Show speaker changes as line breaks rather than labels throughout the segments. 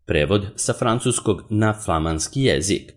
prevod sa francuskog na flamanski jezik.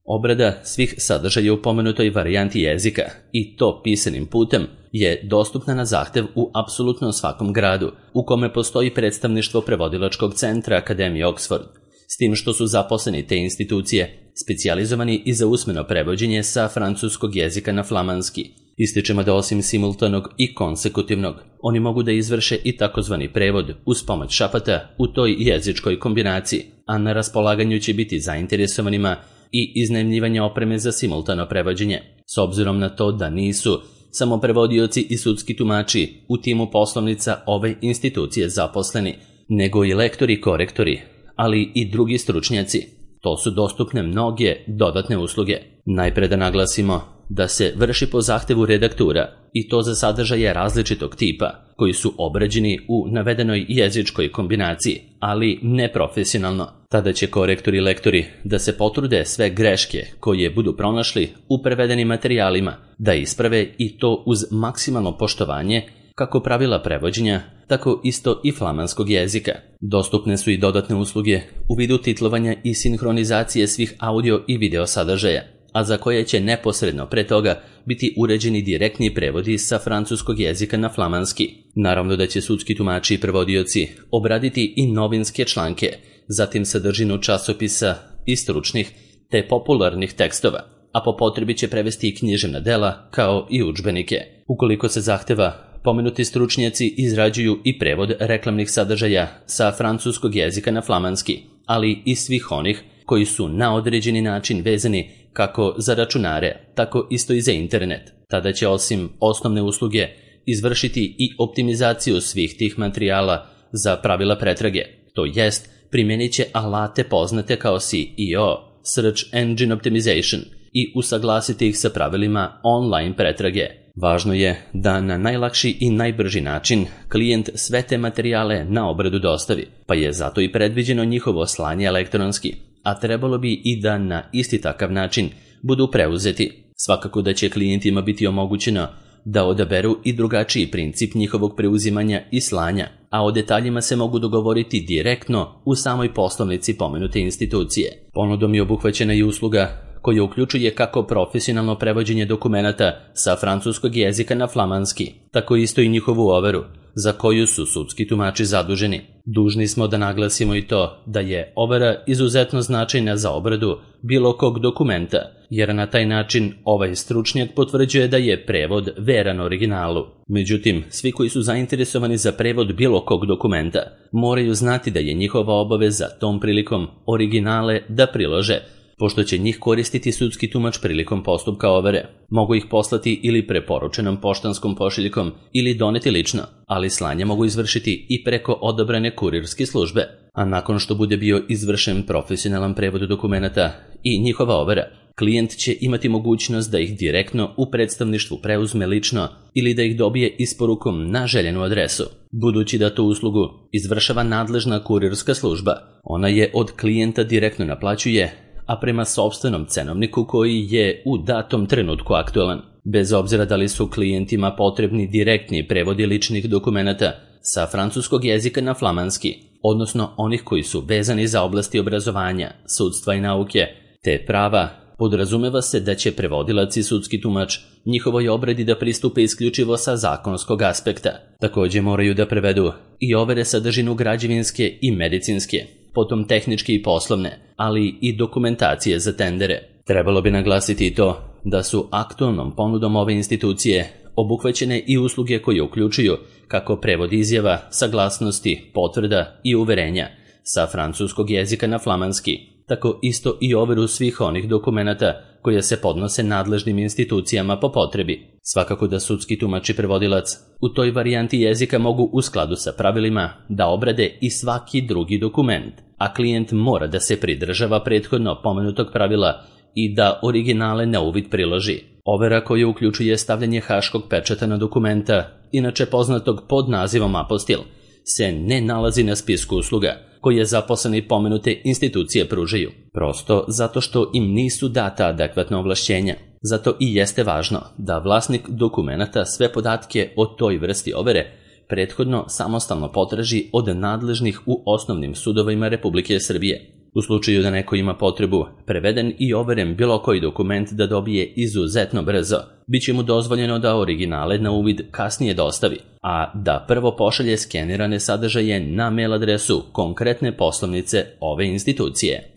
Obrada svih sadržaja u pomenutoj varijanti jezika, i to pisanim putem, je dostupna na zahtev u apsolutno svakom gradu u kome postoji predstavništvo prevodilačkog centra Akademije Oxford, s tim što su zaposleni te institucije specijalizovani i za usmeno prevođenje sa francuskog jezika na flamanski. Ističemo da osim simultanog i konsekutivnog, oni mogu da izvrše i takozvani prevod uz pomoć šapata u toj jezičkoj kombinaciji, a na raspolaganju će biti zainteresovanima i iznajmljivanje opreme za simultano prevođenje, s obzirom na to da nisu samo prevodioci i sudski tumači u timu poslovnica ove institucije zaposleni, nego i lektori i korektori, ali i drugi stručnjaci. To su dostupne mnoge dodatne usluge. Najpre da naglasimo da se vrši po zahtevu redaktura i to za sadržaje različitog tipa koji su obrađeni u navedenoj jezičkoj kombinaciji, ali neprofesionalno. Tada će korektori i lektori da se potrude sve greške koje budu pronašli u prevedenim materijalima da isprave, i to uz maksimalno poštovanje kako pravila prevođenja, tako isto i flamanskog jezika. Dostupne su i dodatne usluge u vidu titlovanja i sinhronizacije svih audio i video sadržaja, a za koje će neposredno pre toga biti uređeni direktni prevodi sa francuskog jezika na flamanski. Naravno da će sudski tumači i prevodioci obraditi i novinske članke, zatim sadržinu časopisa i stručnih te popularnih tekstova, a po potrebi će prevesti i književna dela kao i udžbenike. Ukoliko se zahteva, pomenuti stručnjaci izrađuju i prevod reklamnih sadržaja sa francuskog jezika na flamanski, ali i svih onih koji su na određeni način vezani kako za računare, tako isto i za internet. Tada će osim osnovne usluge izvršiti i optimizaciju svih tih materijala za pravila pretrage, to jest primjenit će alate poznate kao SEO, Search Engine Optimization, i usaglasiti ih sa pravilima online pretrage. Važno je da na najlakši i najbrži način klijent sve te materijale na obradu dostavi, pa je zato i predviđeno njihovo slanje elektronski, a trebalo bi i da na isti takav način budu preuzeti. Svakako da će klijentima biti omogućeno da odaberu i drugačiji princip njihovog preuzimanja i slanja, a o detaljima se mogu dogovoriti direktno u samoj poslovnici pomenute institucije. Ponudom je obuhvaćena i usluga koja uključuje kako profesionalno prevođenje dokumenata sa francuskog jezika na flamanski, tako isto i njihovu overu, za koju su sudski tumači zaduženi. Dužni smo da naglasimo i to da je overa izuzetno značajna za obradu bilo kog dokumenta, jer na taj način ovaj stručnjak potvrđuje da je prevod veran originalu. Međutim, svi koji su zainteresovani za prevod bilo kog dokumenta moraju znati da je njihova obaveza tom prilikom originale da prilože, pošto će njih koristiti sudski tumač prilikom postupka overe. Mogu ih poslati ili preporučenom poštanskom pošiljkom ili doneti lično, ali slanje mogu izvršiti i preko odabrane kurirske službe. A nakon što bude bio izvršen profesionalan prevod dokumenata i njihova overa, klijent će imati mogućnost da ih direktno u predstavništvu preuzme lično ili da ih dobije isporukom na željenu adresu. Budući da tu uslugu izvršava nadležna kurirska služba, ona je od klijenta direktno naplaćuje, a prema sopstvenom cenovniku koji je u datom trenutku aktualan, bez obzira da li su klijentima potrebni direktni prevodi ličnih dokumenata sa francuskog jezika na flamanski, odnosno onih koji su vezani za oblasti obrazovanja, sudstva i nauke, te prava. Podrazumeva se da će prevodilac i sudski tumač njihovoj obradi da pristupe isključivo sa zakonskog aspekta. Također moraju da prevedu i overe sadržinu građevinske i medicinske, potom tehničke i poslovne, ali i dokumentacije za tendere. Trebalo bi naglasiti i to da su aktualnom ponudom ove institucije obuhvaćene i usluge koje uključuju kako prevod izjava, saglasnosti, potvrda i uverenja sa francuskog jezika na flamanski, tako isto i overu svih onih dokumenata koje se podnose nadležnim institucijama po potrebi. Svakako da sudski tumač i prevodilac u toj varijanti jezika mogu u skladu sa pravilima da obrade i svaki drugi dokument, a klijent mora da se pridržava prethodno pomenutog pravila i da originale na uvid priloži. Overa koja uključuje stavljanje haškog pečata na dokumenta, inače poznatog pod nazivom apostil, se ne nalazi na spisku usluga koje zaposleni pomenute institucije pružaju, prosto zato što im nisu data adekvatna ovlašćenja. Zato i jeste važno da vlasnik dokumenata sve podatke o toj vrsti overe prethodno samostalno potraži od nadležnih u osnovnim sudovima Republike Srbije. U slučaju da neko ima potrebu preveden i overen bilo koji dokument da dobije izuzetno brzo, bit će mu dozvoljeno da originale na uvid kasnije dostavi, a da prvo pošalje skenirane sadržaje na mail adresu konkretne poslovnice ove institucije.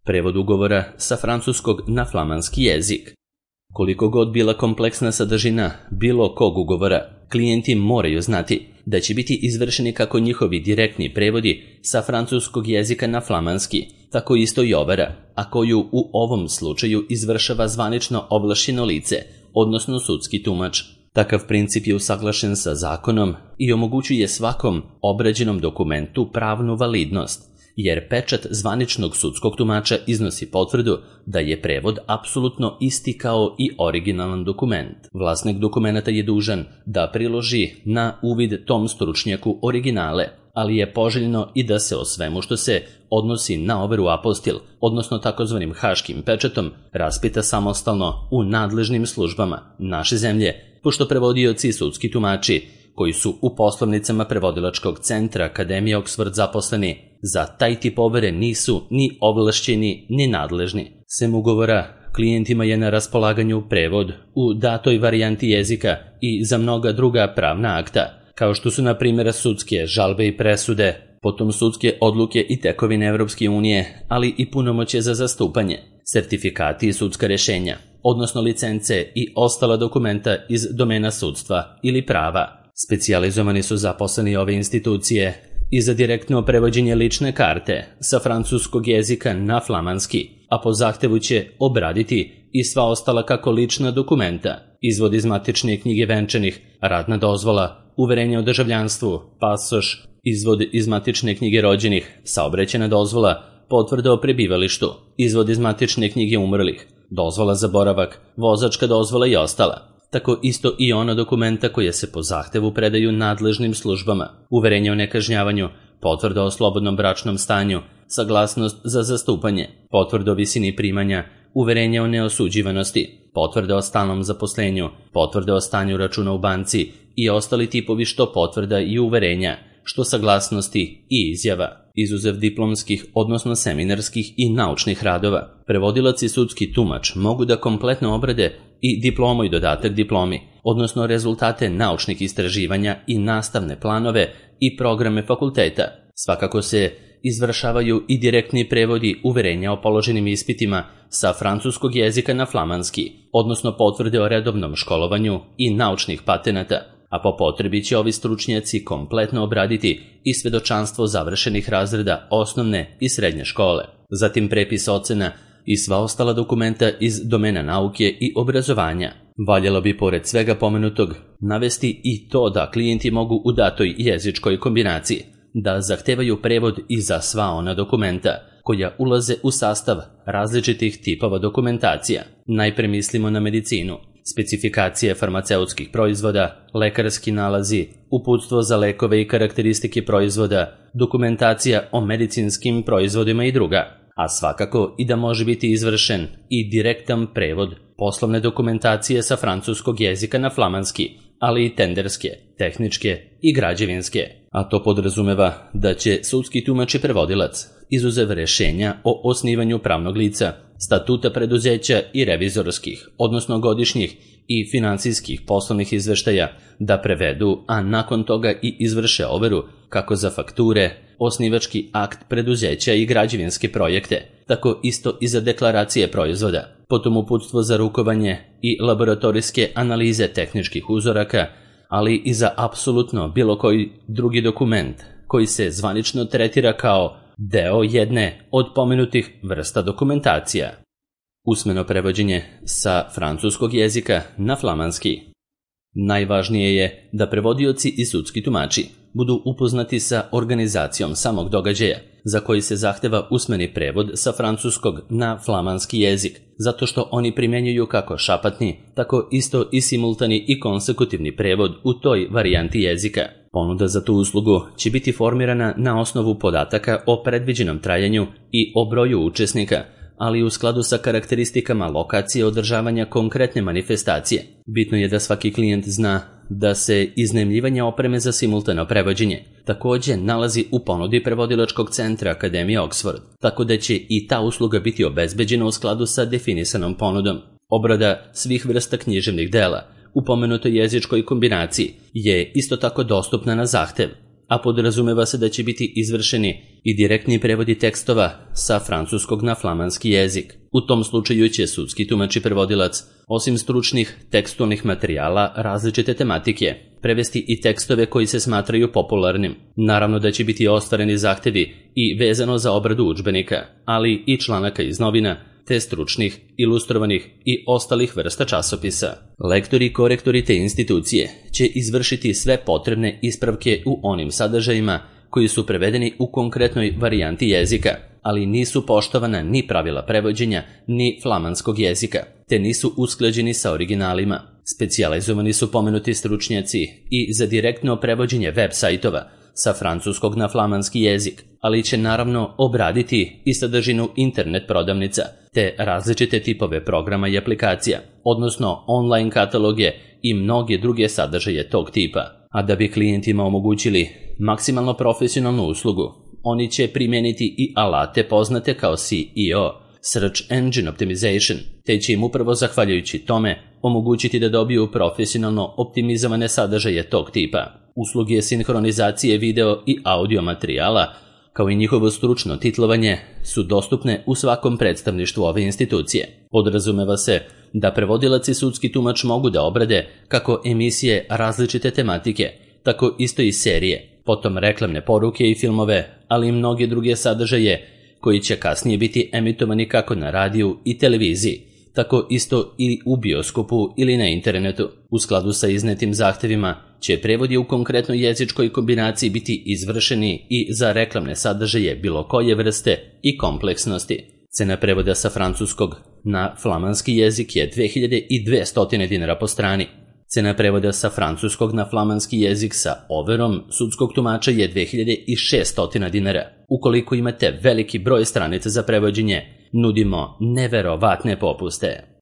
Prevod ugovora sa francuskog na flamanski jezik. Koliko god bila kompleksna sadržina bilo kog ugovora, klijenti moraju znati da će biti izvršeni kako njihovi direktni prevodi sa francuskog jezika na flamanski, tako isto i overa, a koju u ovom slučaju izvršava zvanično ovlašćeno lice, odnosno sudski tumač. Takav princip je usaglašen sa zakonom i omogućuje svakom obrađenom dokumentu pravnu validnost, jer pečat zvaničnog sudskog tumača iznosi potvrdu da je prevod apsolutno isti kao i originalan dokument. Vlasnik dokumenta je dužan da priloži na uvid tom stručnjaku originale, ali je poželjno i da se o svemu što se odnosi na overu apostil, odnosno takozvanim haškim pečatom, raspita samostalno u nadležnim službama naše zemlje, pošto prevodioci i sudski tumači koji su u poslovnicama prevodilačkog centra Akademije Oxford zaposleni za taj tip overe nisu ni ovlašćeni ni nadležni. Sem ugovora, klijentima je na raspolaganju prevod u datoj varijanti jezika i za mnoga druga pravna akta, kao što su na primjer sudske žalbe i presude, potom sudske odluke i tekovine Evropske unije, ali i punomoćje za zastupanje, sertifikati i sudska rješenja, odnosno licence i ostala dokumenta iz domena sudstva ili prava. Specijalizovani su zaposleni ove institucije i za direktno prevođenje lične karte sa francuskog jezika na flamanski, a po zahtevu će obraditi i sva ostala kako lična dokumenta, izvod iz matične knjige venčanih, radna dozvola, uverenje o državljanstvu, pasoš, izvod iz matične knjige rođenih, saobraćajna dozvola, potvrda o prebivalištu, izvod iz matične knjige umrlih, dozvola za boravak, vozačka dozvola i ostala. Tako isto i ona dokumenta koje se po zahtevu predaju nadležnim službama, uverenje o nekažnjavanju, potvrda o slobodnom bračnom stanju, saglasnost za zastupanje, potvrda o visini primanja, uverenje o neosuđivanosti, potvrda o stalnom zaposlenju, potvrda o stanju računa u banci i ostali tipovi što potvrda i uverenja, što saglasnosti i izjava. Izuzev diplomskih, odnosno seminarskih i naučnih radova, prevodilac i sudski tumač mogu da kompletno obrade i diplomu i dodatak diplomi, odnosno rezultate naučnih istraživanja i nastavne planove i programe fakulteta. Svakako se izvršavaju i direktni prevodi uverenja o položenim ispitima sa francuskog jezika na flamanski, odnosno potvrde o redovnom školovanju i naučnih patenata, a po potrebi će ovi stručnjaci kompletno obraditi i svedočanstvo završenih razreda osnovne i srednje škole, zatim prepis ocena i sva ostala dokumenta iz domena nauke i obrazovanja. Valjalo bi pored svega pomenutog navesti i to da klijenti mogu u datoj jezičkoj kombinaciji da zahtevaju prevod i za sva ona dokumenta koja ulaze u sastav različitih tipova dokumentacija. Najpre mislimo na medicinu, specifikacije farmaceutskih proizvoda, lekarski nalazi, uputstvo za lekove i karakteristike proizvoda, dokumentacija o medicinskim proizvodima i druga, a svakako i da može biti izvršen i direktan prevod poslovne dokumentacije sa francuskog jezika na flamanski, ali i tenderske, tehničke i građevinske, a to podrazumeva da će sudski tumač i prevodilac, izuzev rješenja o osnivanju pravnog lica, statuta preduzeća i revizorskih, odnosno godišnjih i finansijskih poslovnih izveštaja, da prevedu, a nakon toga i izvrše overu kako za fakture, osnivački akt preduzeća i građevinske projekte, tako isto i za deklaracije proizvoda, potom uputstvo za rukovanje i laboratorijske analize tehničkih uzoraka, ali i za apsolutno bilo koji drugi dokument koji se zvanično tretira kao deo jedne od pomenutih vrsta dokumentacija. Usmeno prevođenje sa francuskog jezika na flamanski. Najvažnije je da prevodioci i sudski tumači budu upoznati sa organizacijom samog događaja, za koji se zahteva usmeni prevod sa francuskog na flamanski jezik, zato što oni primjenjuju kako šapatni, tako isto i simultani i konsekutivni prevod u toj varijanti jezika. Ponuda za tu uslugu će biti formirana na osnovu podataka o predviđenom trajanju i o broju učesnika, ali u skladu sa karakteristikama lokacije održavanja konkretne manifestacije. Bitno je da svaki klijent zna da se iznajmljivanje opreme za simultano prevođenje također nalazi u ponudi prevodilačkog centra Akademije Oxford, tako da će i ta usluga biti obezbeđena u skladu sa definisanom ponudom. Obrada svih vrsta književnih dela u pomenutoj jezičkoj kombinaciji je isto tako dostupna na zahtev, a podrazumeva se da će biti izvršeni i direktni prevodi tekstova sa francuskog na flamanski jezik. U tom slučaju će sudski tumač i prevodilac, osim stručnih tekstualnih materijala različite tematike, prevesti i tekstove koji se smatraju popularnim. Naravno da će biti ostvareni zahtevi i vezano za obradu udžbenika, ali i članaka iz novina, te stručnih, ilustrovanih i ostalih vrsta časopisa. Lektori i korektori te institucije će izvršiti sve potrebne ispravke u onim sadržajima koji su prevedeni u konkretnoj varijanti jezika, ali nisu poštovana ni pravila prevođenja ni flamanskog jezika, te nisu usklađeni sa originalima. Specijalizovani su pomenuti stručnjaci i za direktno prevođenje web sajtova sa francuskog na flamanski jezik, ali će naravno obraditi i sadržinu internet prodavnica, te različite tipove programa i aplikacija, odnosno online kataloge i mnoge druge sadržaje tog tipa. A da bi klijentima omogućili maksimalno profesionalnu uslugu, oni će primijeniti i alate poznate kao SEO, Search Engine Optimization, te će im upravo zahvaljujući tome omogućiti da dobiju profesionalno optimizovane sadržaje tog tipa. Usluge sinhronizacije video i audio materijala, kao i njihovo stručno titlovanje, su dostupne u svakom predstavništvu ove institucije. Podrazumeva se da prevodilac i sudski tumač mogu da obrade kako emisije različite tematike, tako isto i serije, potom reklamne poruke i filmove, ali i mnoge druge sadržaje koji će kasnije biti emitovani kako na radiju i televiziji, tako isto i u bioskopu ili na internetu. U skladu sa iznetim zahtevima će prevodi u konkretnoj jezičkoj kombinaciji biti izvršeni i za reklamne sadržaje bilo koje vrste i kompleksnosti. Cena prevoda sa francuskog na flamanski jezik je 2200 dinara po strani. Cena prevoda sa francuskog na flamanski jezik sa overom sudskog tumača je 2600 dinara. Ukoliko imate veliki broj stranica za prevođenje, nudimo neverovatne popuste.